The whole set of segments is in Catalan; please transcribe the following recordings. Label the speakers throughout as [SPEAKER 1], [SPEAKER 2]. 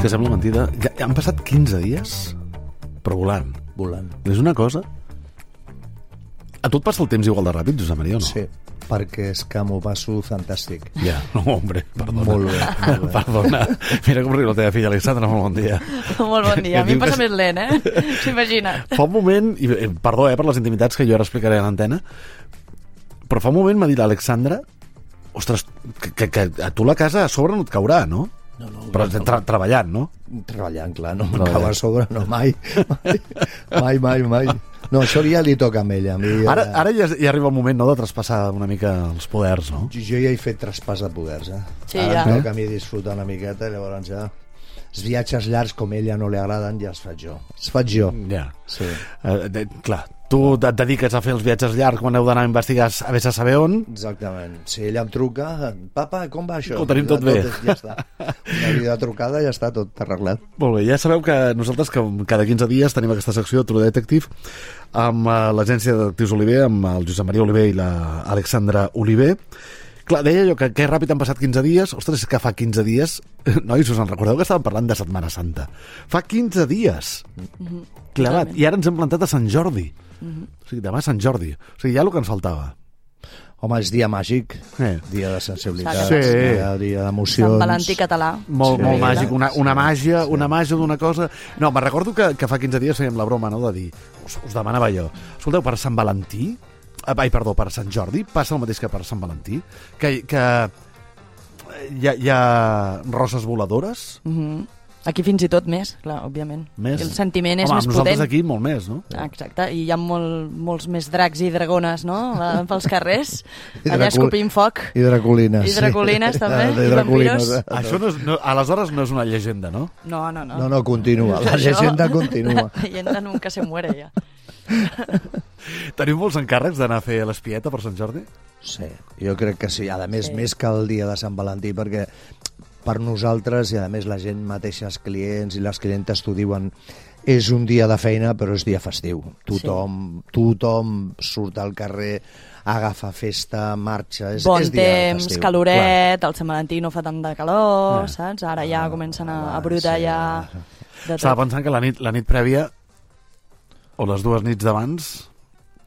[SPEAKER 1] que sembla mentida. Ja han passat 15 dies, però volant. És una cosa... A tu et passa el temps igual de ràpid, Josep Maria, o no?
[SPEAKER 2] Sí, perquè és que m'ho passo fantàstic.
[SPEAKER 1] Ja, no, hombre, perdona.
[SPEAKER 2] Molt bé.
[SPEAKER 1] Perdona. Mira com riu la teva filla, Alexandra, molt bon dia.
[SPEAKER 3] Molt bon dia. A mi em passa més lent, S'imagina.
[SPEAKER 1] Fa un moment, i perdó per les intimitats que jo ara explicaré a l'antena, però fa un moment m'ha dit l'Alexandra, ostres, que a tu la casa a sobre no et caurà, no?
[SPEAKER 2] No,
[SPEAKER 1] però treballant, no?
[SPEAKER 2] Treballant, clar, no em cau a sobre, no, mai. Mai. No, això ja li toca a ella.
[SPEAKER 1] Ara ja arriba el moment, no?, de traspassar una mica els poders, no?
[SPEAKER 2] Jo ja he fet traspàs de poders,
[SPEAKER 3] Sí,
[SPEAKER 2] ara
[SPEAKER 3] ja.
[SPEAKER 2] em toca a mi disfrutar una miqueta, i llavors ja... Els viatges llargs, com a ella no li agraden, ja els faig jo.
[SPEAKER 1] Ja.
[SPEAKER 2] Sí.
[SPEAKER 1] Clar, tu et dediques a fer els viatges llargs quan heu d'anar a investigar a vés a saber on.
[SPEAKER 2] Exactament. Si ella em truca, papa, com va això?
[SPEAKER 1] Ho tenim tot bé.
[SPEAKER 2] Ja està. Una vida trucada, ja està tot arreglat.
[SPEAKER 1] Molt bé, ja sabeu que nosaltres que cada 15 dies tenim aquesta secció True Detective amb l'agència de detectius Oliver, amb el Josep Maria Oliver i l'Alexandra Oliver. Clar, deia jo que ràpid han passat 15 dies. Ostres, és que fa 15 dies... Nois, us en recordeu que estàvem parlant de Setmana Santa? Fa 15 dies! Clavat. I ara ens hem plantat a Sant Jordi. O sigui, demà Sant Jordi. O sigui, ja el que ens faltava.
[SPEAKER 2] Home, és dia màgic, dia de sensibilitat, dia d'emocions.
[SPEAKER 3] Sant Valentí català.
[SPEAKER 1] Molt màgic, una màgia d'una cosa... No, me'n recordo que fa 15 dies fèiem la broma, no?, de dir, us demanava jo, escolteu, per Sant Valentí, per Sant Jordi, passa el mateix que per Sant Valentí, que hi ha roses voladores?
[SPEAKER 3] Aquí fins i tot més, clar, òbviament.
[SPEAKER 1] Més?
[SPEAKER 3] El sentiment és
[SPEAKER 1] més potent. Nosaltres aquí molt més, no?
[SPEAKER 3] Exacte, i hi ha molts més dracs i dragones, no?, pels carrers, allà escopint foc.
[SPEAKER 2] I draculines.
[SPEAKER 3] I draculines, també, i vampiros.
[SPEAKER 1] Això aleshores no és una llegenda, no?
[SPEAKER 3] No.
[SPEAKER 2] No, continua, la llegenda continua.
[SPEAKER 3] La llegenda nunca se muere, ja.
[SPEAKER 1] Teniu molts encàrrecs d'anar a fer l'espieta per Sant Jordi?
[SPEAKER 2] Sí, jo crec que sí. A més, més que el dia de Sant Valentí, perquè per nosaltres, i a més la gent mateixa, els clients i les clientes t'ho diuen, és un dia de feina però és dia festiu. Tothom surt al carrer, agafa festa, marxa, és dia festiu.
[SPEAKER 3] Bon temps, caloret, el Sant Valentí no fa tant de calor, saps? Ara ja comencen a brotar ja...
[SPEAKER 1] Estava pensant que la nit prèvia o les dues nits d'abans...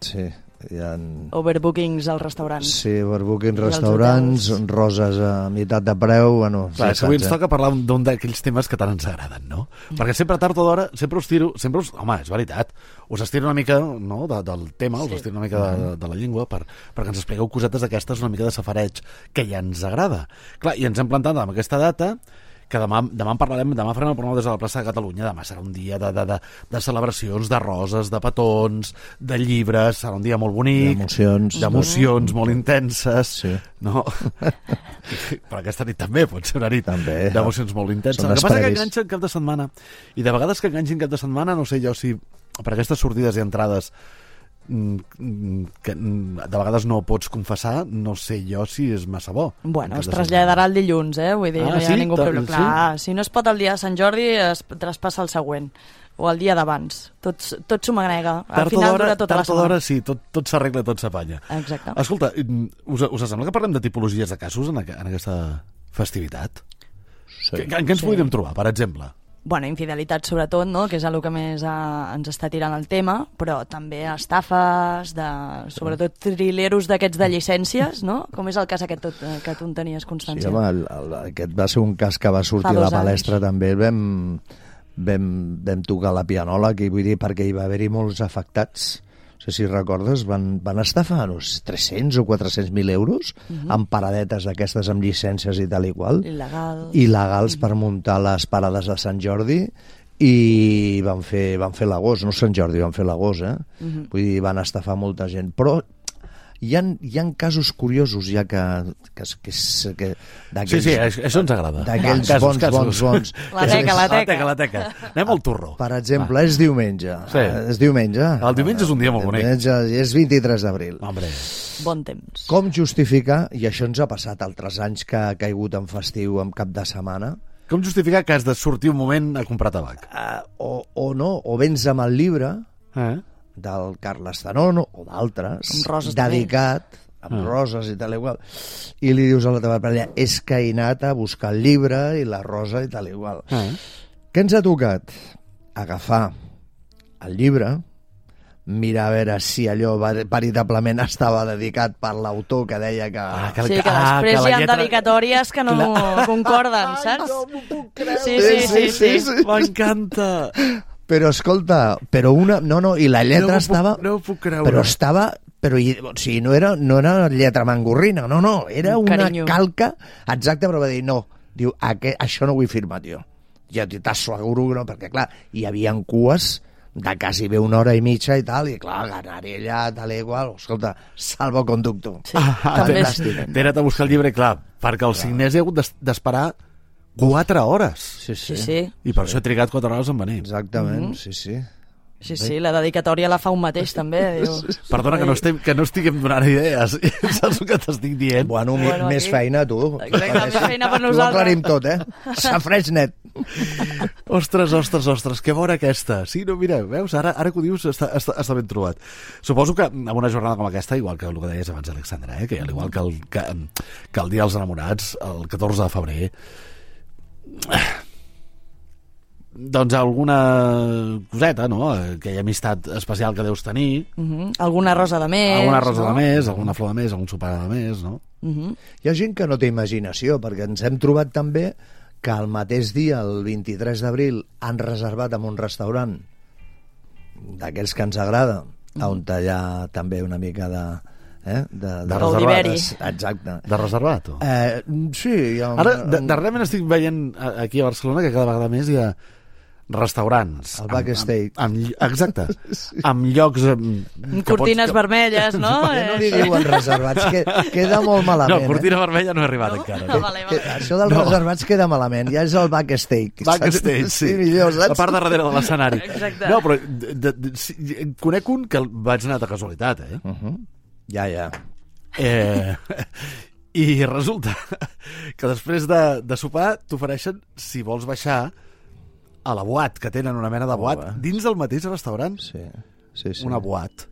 [SPEAKER 2] Sí, hi ha...
[SPEAKER 3] Overbookings als restaurants.
[SPEAKER 2] Sí, overbookings restaurants, roses a meitat de preu... Bueno,
[SPEAKER 1] clar, és que avui ens toca parlar d'un d'aquells temes que tant ens agraden, no? Perquè sempre tard o d'hora, home, és veritat, us estiro una mica, no?, del tema, us estiro una mica de la llengua perquè ens expliqueu cosetes d'aquestes, una mica de safareig, que ja ens agrada. Clar, i ens hem plantat amb aquesta data, que demà en parlarem, demà farem el programa des de la plaça de Catalunya, demà serà un dia de celebracions, de roses, de petons, de llibres, serà un dia molt bonic, d'emocions molt intenses, no? Però aquesta nit també pot ser una nit d'emocions molt intenses. El que passa que enganxa cap de setmana, i de vegades que enganxin cap de setmana, no sé jo si per aquestes sortides i entrades que de vegades no pots confessar, no sé jo si és massa bo.
[SPEAKER 3] Bueno, es traslladarà el dilluns, vull dir, no hi ha ningú problema. Clar, si no es pot el dia de Sant Jordi, es traspassa el següent, o el dia d'abans. Tot s'ho magrega. Al final dura tota la setmana.
[SPEAKER 1] Tard o d'hora, sí, tot s'arregla, tot s'apanya.
[SPEAKER 3] Exacte.
[SPEAKER 1] Escolta, us sembla que parlem de tipologies de casos en aquesta festivitat? Sí. En què ens podríem trobar, per exemple?
[SPEAKER 3] Bueno, infidelitat sobretot, no?, que és el que més ens està tirant el tema, però també estafes, sobretot trileros d'aquests de llicències, no? Com és el cas aquest que tu en tenies constància?
[SPEAKER 2] Sí, home, aquest va ser un cas que va sortir a la palestra també, vam tocar la pianola, que vull dir, perquè hi va haver-hi molts afectats. No sé si recordes, van estafar uns 300 o 400.000 euros amb paradetes d'aquestes amb llicències i tal i qual. Il·legals per muntar les parades de Sant Jordi, i van fer l'agost, no Sant Jordi, van fer l'agost, Vull dir, van estafar molta gent. Però hi ha casos curiosos ja que
[SPEAKER 1] sí, això ens agrada,
[SPEAKER 2] d'aquells bons.
[SPEAKER 3] La teca.
[SPEAKER 1] Anem al turro.
[SPEAKER 2] Per exemple, és diumenge. El
[SPEAKER 1] diumenge és un dia molt bonic.
[SPEAKER 2] És 23 d'abril.
[SPEAKER 3] Bon temps.
[SPEAKER 2] Com justificar, i això ens ha passat altres anys que ha caigut en festiu, en cap de setmana,
[SPEAKER 1] com justificar que has de sortir un moment a comprar tabac?
[SPEAKER 2] O no, o vens amb el llibre del Carles Zanón o d'altres, dedicat amb roses i tal igual, i li dius a la teva parella, és que he anat a buscar el llibre i la rosa i tal igual. Què ens ha tocat? Agafar el llibre, mirar a veure si allò veritablement estava dedicat per l'autor que deia que...
[SPEAKER 3] Sí, que després hi ha dedicatòries que no concorden, saps?
[SPEAKER 1] No m'ho puc creure.
[SPEAKER 3] Sí.
[SPEAKER 1] M'encanta.
[SPEAKER 2] Però escolta, i la lletra estava...
[SPEAKER 1] No ho puc creure.
[SPEAKER 2] Però estava... o sigui, no era lletra mangorrina, era una calca exacta, però va dir, no, diu, això no ho vull firmar, tio. Ja t'asseguro que no, perquè clar, hi havia cues de quasi bé 1 hora i mitja i tal, i clar, anar-hi allà, tal i igual, escolta, salvoconductor.
[SPEAKER 3] Sí, també
[SPEAKER 1] t'he anat a buscar el llibre, clar, perquè el signés he hagut d'esperar 4 hores.
[SPEAKER 3] Sí.
[SPEAKER 1] I per això he trigat 4 hores en venir.
[SPEAKER 2] Exactament, sí.
[SPEAKER 3] Sí, la dedicatòria la fa un mateix, també. Diu.
[SPEAKER 1] Perdona, que no estiguem donant idees. Saps el que t'estic dient?
[SPEAKER 2] Bueno, més feina, tu.
[SPEAKER 3] Exacte, més feina per nosaltres.
[SPEAKER 2] Ho aclarim tot, Safreix net.
[SPEAKER 1] Ostres, que bona aquesta. Sí, no, mira, veus, ara que ho dius està ben trobat. Suposo que en una jornada com aquesta, igual que el que deies abans, Alexandra, que igual que el Dia dels Enamorats, el 14 de febrer, doncs alguna coseta, no? Aquella amistat especial que deus tenir.
[SPEAKER 3] Alguna rosa de més.
[SPEAKER 1] Alguna rosa de més, alguna flor de més, algun sopar de més, no?
[SPEAKER 2] Hi ha gent que no té imaginació, perquè ens hem trobat també que el mateix dia, el 23 d'abril, han reservat en un restaurant d'aquells que ens agrada, on hi ha també una mica de
[SPEAKER 3] reservat.
[SPEAKER 2] Exacte.
[SPEAKER 1] De reservat?
[SPEAKER 2] Sí.
[SPEAKER 1] Ara, darrerament estic veient aquí a Barcelona que cada vegada més hi ha restaurants.
[SPEAKER 2] El backstage.
[SPEAKER 1] Exacte. Amb llocs...
[SPEAKER 3] cortines vermelles, no?
[SPEAKER 2] No li diuen reservats, queda molt malament.
[SPEAKER 1] No, cortina vermella no he arribat encara.
[SPEAKER 3] Vale.
[SPEAKER 2] Això dels reservats queda malament, ja és el backstage.
[SPEAKER 1] Backstage, sí.
[SPEAKER 2] Millor, saps?
[SPEAKER 1] La part de darrere de l'escenari.
[SPEAKER 3] Exacte.
[SPEAKER 1] No, però conec un que vaig anar de casualitat,
[SPEAKER 2] Ja.
[SPEAKER 1] I resulta que després de sopar t'ofereixen, si vols baixar, a la boat, que tenen una mena de boat dins del mateix restaurant.
[SPEAKER 2] Sí.
[SPEAKER 1] Una boat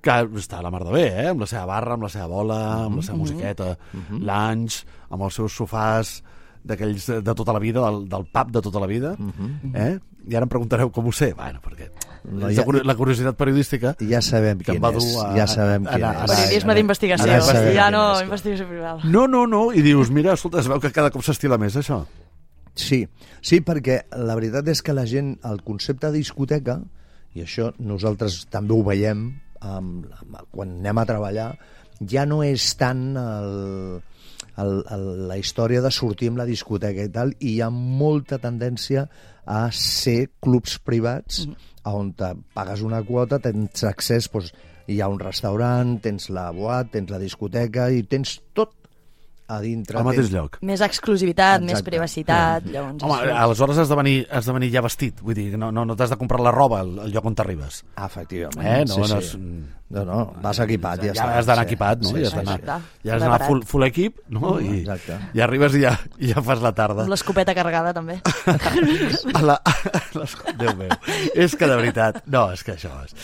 [SPEAKER 1] que està a la mar de bé, amb la seva barra, amb la seva bola, amb la seva musiqueta, lunch, amb els seus sofàs d'aquells de tota la vida, del pub de tota la vida, i ara em preguntareu com ho sé. Bueno, perquè la curiositat periodística
[SPEAKER 2] ja sabem quin és. Ja sabem quin és.
[SPEAKER 3] Periodisme d'investigació, investigació privada.
[SPEAKER 1] No, i dius, mira, escolta, es veu que cada cop s'estila més això.
[SPEAKER 2] Sí, perquè la veritat és que la gent, el concepte de discoteca, i això nosaltres també ho veiem quan anem a treballar, ja no és tant la història de sortir amb la discoteca i tal, i hi ha molta tendència a ser clubs privats on pagues una quota, tens accés, doncs, hi ha un restaurant, tens la boat, tens la discoteca i tens tot a dintre.
[SPEAKER 1] Al mateix lloc.
[SPEAKER 3] Més exclusivitat, més privacitat. Llavors,
[SPEAKER 1] home, aleshores has de venir ja vestit. Vull dir, no t'has de comprar la roba al lloc on t'arribes.
[SPEAKER 2] Efectivament. No, vas equipat.
[SPEAKER 1] Ja has d'anar equipat, no? Ja has d'anar full equip, no? I arribes i ja fas la tarda.
[SPEAKER 3] Amb l'escopeta carregada, també.
[SPEAKER 1] Déu meu. És que de veritat... No, és que això és...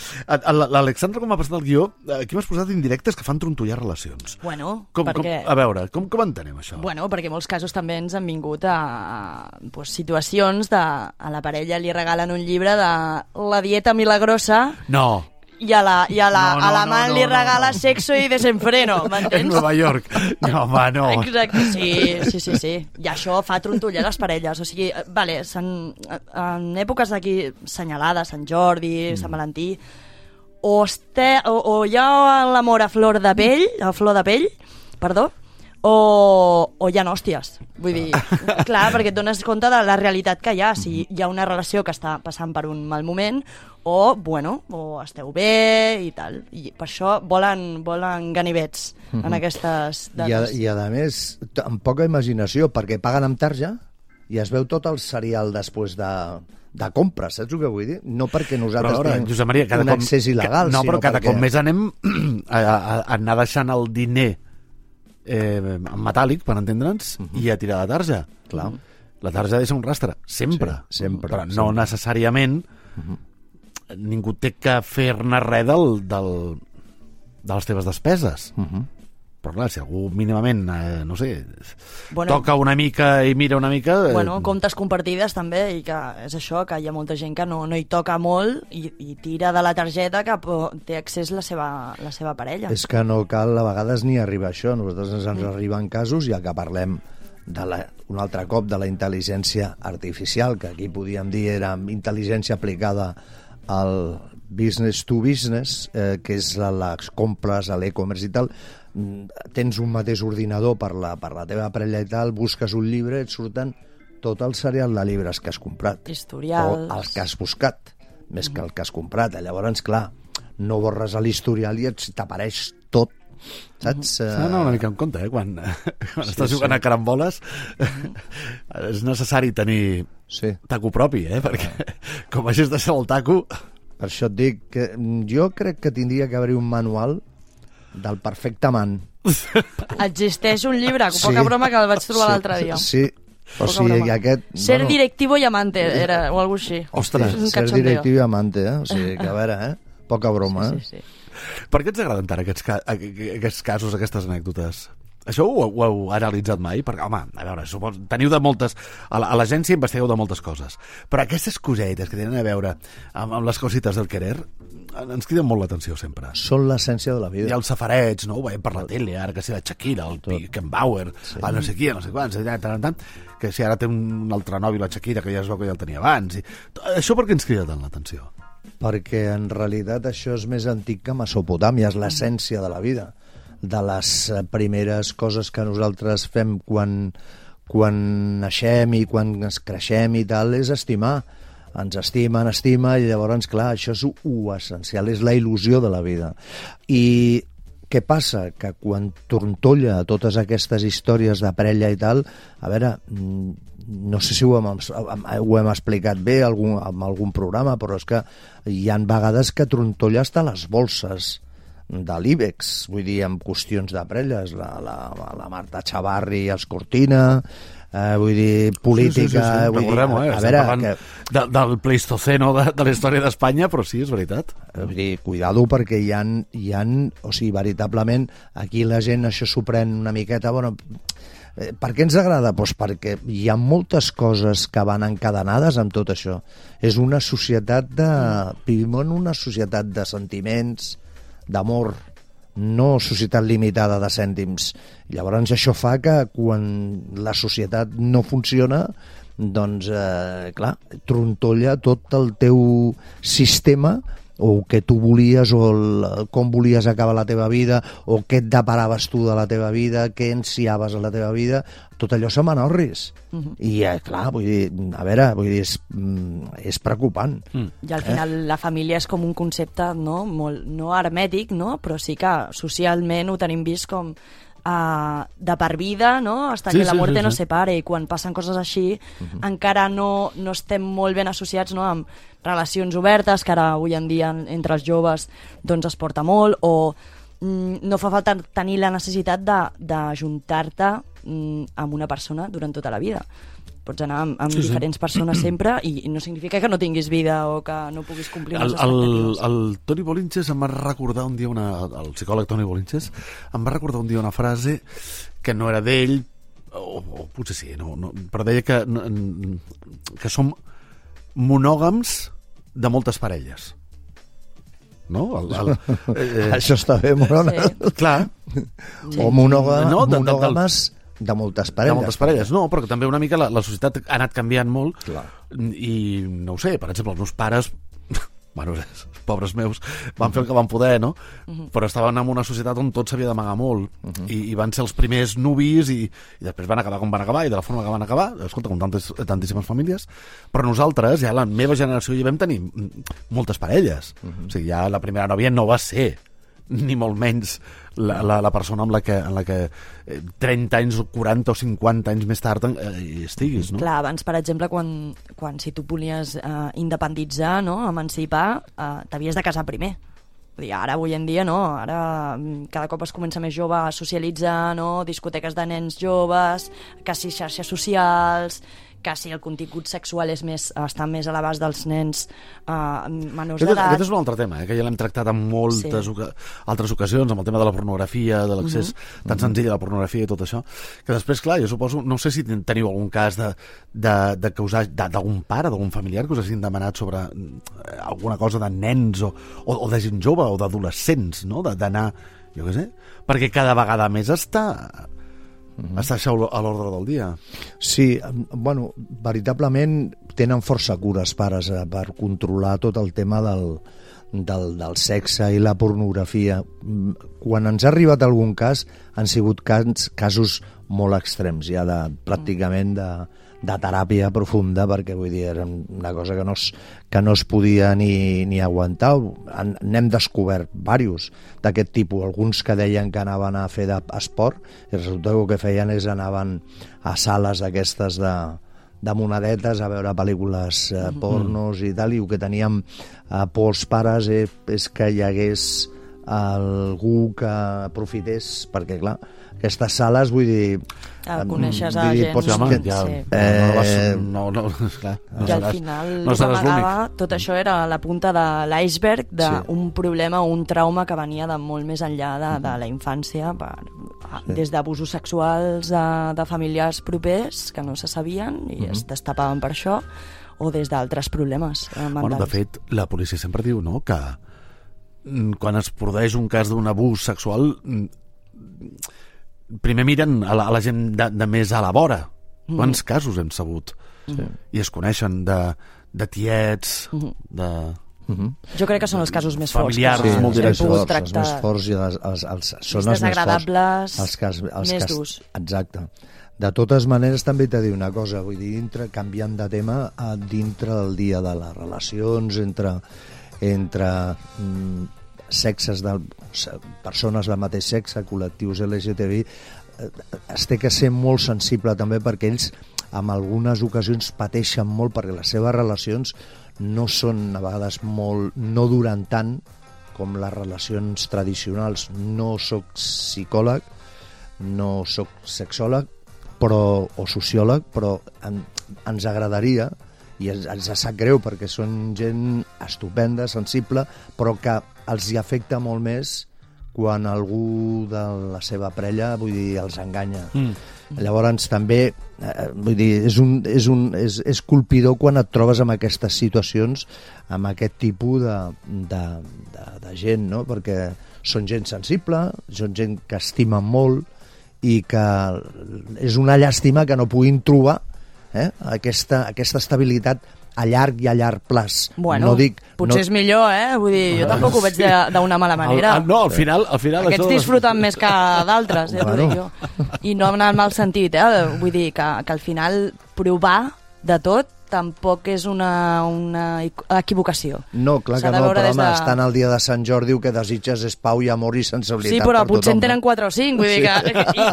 [SPEAKER 1] L'Alexandra, com m'ha passat el guió, aquí m'has posat indirectes que fan trontollar relacions.
[SPEAKER 3] Bueno,
[SPEAKER 1] perquè... A veure, com entenem això?
[SPEAKER 3] Bueno, perquè molts casos també ens han vingut a situacions de a la parella li regalen un llibre de La dieta milagrosa.
[SPEAKER 1] No.
[SPEAKER 3] I a l'amant li regala Sexo y desenfreno, m'entens?
[SPEAKER 1] En Nova York. No, home, no.
[SPEAKER 3] Exacte, sí. I això fa trontollar les parelles. O sigui, vale, en èpoques d'aquí senyalades, Sant Jordi, Sant Valentí, o hi ha l'amor a flor de pell, perdó, o hi ha hòsties. Vull dir, clar, perquè et dones compte de la realitat que hi ha. Si hi ha una relació que està passant per un mal moment, o esteu bé i tal. I per això volen ganivets en aquestes dates.
[SPEAKER 2] I a més, amb poca imaginació, perquè paguen amb tarja i es veu tot el serial després de compres, saps el que vull dir? No perquè nosaltres tenim un accés il·legal,
[SPEAKER 1] no, però cada cop més anem a anar deixant el diner en metàl·lic, per entendre'ns, i a tirar la tarja.
[SPEAKER 2] Clar.
[SPEAKER 1] La tarja deixa un rastre, sempre.
[SPEAKER 2] Sempre.
[SPEAKER 1] Però no necessàriament ningú té que fer-ne res de les teves despeses. però clar, si algú mínimament, no sé, toca una mica i mira una mica...
[SPEAKER 3] Comptes compartides també, i que és això, que hi ha molta gent que no hi toca molt i tira de la targeta que té accés la seva parella.
[SPEAKER 2] És que no cal a vegades ni arribar a això. Nosaltres ens arriben casos, ja que parlem un altre cop de la intel·ligència artificial, que aquí podíem dir era intel·ligència aplicada al business to business, que és les compres, a l'e-commerce i tal. Tens un mateix ordinador per la teva parella i tal, busques un llibre, et surten tot el serial de llibres que has comprat.
[SPEAKER 3] Historials.
[SPEAKER 2] O els que has buscat, més que el que has comprat. Llavors, clar, no borres l'historial i t'apareix tot, saps?
[SPEAKER 1] S'ha d'anar una mica en compte, quan estàs jugant a caramboles és necessari tenir taco propi, perquè com hagis de ser el taco...
[SPEAKER 2] Per això et dic que jo crec que tindria que haver-hi un manual del perfecte amant.
[SPEAKER 3] Existeix un llibre, poca broma, que el vaig trobar l'altre dia.
[SPEAKER 2] Sí, o sigui, aquest...
[SPEAKER 3] Ser directivo i amante, era, o alguna cosa així.
[SPEAKER 1] Ostres,
[SPEAKER 2] ser directivo i amante, O sigui, que a veure, poca broma,
[SPEAKER 3] Sí.
[SPEAKER 1] Per què ens agraden tant aquests casos, aquestes anècdotes? Això ho heu analitzat mai? Perquè, home, a veure, teniu de moltes... A l'agència investigueu de moltes coses, però aquestes cosetes que tenen a veure amb les cosites del querer ens criden molt l'atenció sempre.
[SPEAKER 2] Són l'essència de la vida.
[SPEAKER 1] I els safarets, no? Ho veiem per la tele, ara que si la Shakira, el Beckenbauer, no sé qui, no sé quants, que si ara té un altre nòvio, la Shakira, que ja es veu que ja el tenia abans. Això per què ens crida tant l'atenció?
[SPEAKER 2] Perquè en realitat això és més antic que Mesopotàmia, és l'essència de la vida, de les primeres coses que nosaltres fem quan naixem i quan es creixem i tal, és estimar. Ens estima, i llavors, clar, això és essencial, és la il·lusió de la vida. I què passa? Que quan trontolla totes aquestes històries de parella i tal, a veure, no sé si ho hem explicat bé en algun programa, però és que hi ha vegades que trontolla hasta les bolses de l'IBEX, vull dir, amb qüestions de parelles, la Marta Chavarri i els Cortina, vull dir, política...
[SPEAKER 1] Sí. Recordem-ho, estem parlant del Pleistoceno de la història d'Espanya, però sí, és veritat.
[SPEAKER 2] Vull dir, cuidado, perquè hi ha, o sigui, veritablement, aquí la gent això s'ho pren una miqueta, bueno... Per què ens agrada? Doncs perquè hi ha moltes coses que van encadenades amb tot això. És una societat vivim en una societat de sentiments, d'amor, no societat limitada de cèntims. Llavors això fa que quan la societat no funciona, doncs, clar, trontolla tot el teu sistema, o que tu volies, o com volies acabar la teva vida, o què et deparaves tu de la teva vida, què ansiaves a la teva vida, tot allò se m'anorris. I, clar, vull dir, a veure, és preocupant.
[SPEAKER 3] I al final la família és com un concepte, no hermètic, però sí que socialment ho tenim vist com de per vida, no? Hasta que la muerte nos separe, i quan passen coses així encara no estem molt ben associats, no? Amb relacions obertes, que ara avui en dia entre els joves doncs es porta molt, o no fa falta tenir la necessitat d'ajuntar-te amb una persona durant tota la vida. Pots anar amb diferents persones sempre i no significa que no tinguis vida o que no puguis complir les expectatives.
[SPEAKER 1] El Toni Bolinches em va recordar un dia el psicòleg Toni Bolinches em va recordar un dia una frase que no era d'ell, o potser sí, però deia que som monògams de moltes parelles. No?
[SPEAKER 2] Això està bé, monògam.
[SPEAKER 1] Clar.
[SPEAKER 2] O monògames de moltes parelles.
[SPEAKER 1] De moltes parelles, no, però que també una mica la societat ha anat canviant molt.
[SPEAKER 2] Clar.
[SPEAKER 1] I no ho sé, per exemple, els meus pares, bueno, pobres meus, van fer el que van poder, no? Però estaven en una societat on tot s'havia d'amagar molt, i van ser els primers nuvis, i després van acabar com van acabar, i de la forma que van acabar, escolta, com tantíssimes famílies, però nosaltres, ja la meva generació, ja vam tenir moltes parelles. O sigui, ja la primera nòvia no va ser ni molt menys la persona amb la que 30 anys, 40 o 50 anys més tard hi estiguis, no?
[SPEAKER 3] Clar, abans, per exemple, quan si tu volies independitzar, no? Emancipar, t'havies de casar primer. Vull dir, ara, avui en dia, no? Ara cada cop es comença més jove a socialitzar, no? Discoteques de nens joves, que si xarxes socials, que si el contingut sexual està més a l'abast dels nens menors
[SPEAKER 1] Aquest
[SPEAKER 3] d'edat...
[SPEAKER 1] és un altre tema, que ja l'hem tractat en moltes altres ocasions, amb el tema de la pornografia, de l'accés tan senzill a la pornografia i tot això, que després, clar, jo suposo, no sé si teniu algun cas d'algun pare, d'algun familiar que us hagin demanat sobre alguna cosa de nens o de gent jove o d'adolescents, no? D'anar, jo què sé, perquè cada vegada més està això a l'ordre del dia.
[SPEAKER 2] Sí, bueno, veritablement tenen força cures pares per controlar tot el tema del sexe i la pornografia. Quan ens ha arribat algun cas, han sigut casos molt extrems, ja pràcticament de teràpia profunda, perquè vull dir, era una cosa que no es podia ni aguantar. N'hem descobert diversos d'aquest tipus, alguns que deien que anaven a fer d'esport i resulta que el que feien és anaven a sales d'aquestes de monedetes a veure pel·lícules pornos i tal, i el que teníem por els pares és que hi hagués algú que aprofités, perquè clar, aquestes sales, vull dir...
[SPEAKER 3] coneixes a gent... I al final, tot això era la punta de l'iceberg d'un problema o un trauma que venia de molt més enllà de la infància, des d'abusos sexuals de familiars propers que no se sabien i es destapaven per això, o des d'altres problemes mentals.
[SPEAKER 1] Bueno, de fet, la policia sempre diu, no?, que quan es produeix un cas d'un abús sexual primer miren a la gent de més a la vora. Quants casos hem sabut? I es coneixen de tiets, de...
[SPEAKER 3] Jo crec que són els casos més forts.
[SPEAKER 1] Familiars, molt directors.
[SPEAKER 2] Els més forts i són els
[SPEAKER 3] desagradables,
[SPEAKER 2] més durs. Exacte. De totes maneres, també t'he de dir una cosa, vull dir, canviant de tema, dintre del dia de les relacions entre sexes de persones del mateix sexe, col·lectius LGTBI, es té que ser molt sensible també, perquè ells en algunes ocasions pateixen molt perquè les seves relacions no són a vegades no duren tant com les relacions tradicionals. No soc psicòleg, no soc sexòleg o sociòleg, però ens agradaria, i ens sap greu perquè són gent estupenda, sensible, però que els hi afecta molt més quan algú de la seva parella, vull dir, els enganya. Llavors també, vull dir, és colpidor quan et trobes en aquestes situacions, amb aquest tipus de gent, no? Perquè són gent sensible, són gent que estimen molt i que és una llàstima que no puguin trobar aquesta estabilitat a llarg i a llarg plaç.
[SPEAKER 3] Bueno, potser és millor, Vull dir, jo tampoc ho veig d'una mala manera.
[SPEAKER 1] No, al final...
[SPEAKER 3] Aquests disfruten més que d'altres, t'ho dic jo. I no en el mal sentit, Vull dir que al final provar de tot tampoc és una equivocació.
[SPEAKER 2] No, clar que no, però home, estan al dia de Sant Jordi, que desitges és pau i amor i sensibilitat.
[SPEAKER 3] Sí, però potser en tenen 4 o 5, vull dir que...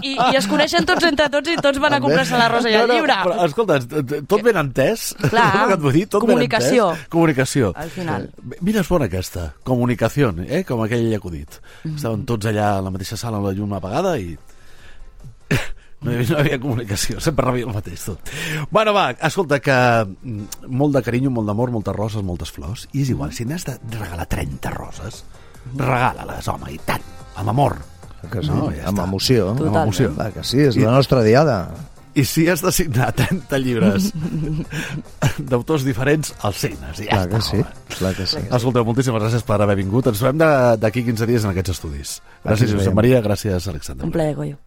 [SPEAKER 3] I es coneixen tots entre tots i tots van a comprar-se la rosa i el llibre.
[SPEAKER 1] Però, escolta, tot ben entès.
[SPEAKER 3] Clar, comunicació.
[SPEAKER 1] Comunicació.
[SPEAKER 3] Al final.
[SPEAKER 1] Mira, és bona aquesta, comunicació, com aquell acudit. Estaven tots allà a la mateixa sala amb la llum apagada i... No hi havia comunicació, sempre rebia el mateix tot. Bueno, va, escolta, que molt de carinyo, molt d'amor, moltes roses, moltes flors, i és igual, si n'has de regalar 30 roses, regala-les, home, i tant, amb amor.
[SPEAKER 2] Que sí, no, ja amb emoció.
[SPEAKER 1] Amb emoció.
[SPEAKER 2] Va, que sí, és la nostra diada.
[SPEAKER 1] I si has de signar 30 llibres d'autors diferents, els signes. Ja
[SPEAKER 2] clar
[SPEAKER 1] està,
[SPEAKER 2] que sí, clar que sí.
[SPEAKER 1] Escolteu, moltíssimes gràcies per haver vingut. Ens trobem d'aquí 15 dies en aquests estudis. Gràcies, Josep Maria, gràcies, Alexandre.
[SPEAKER 3] Un plaer, Goyo.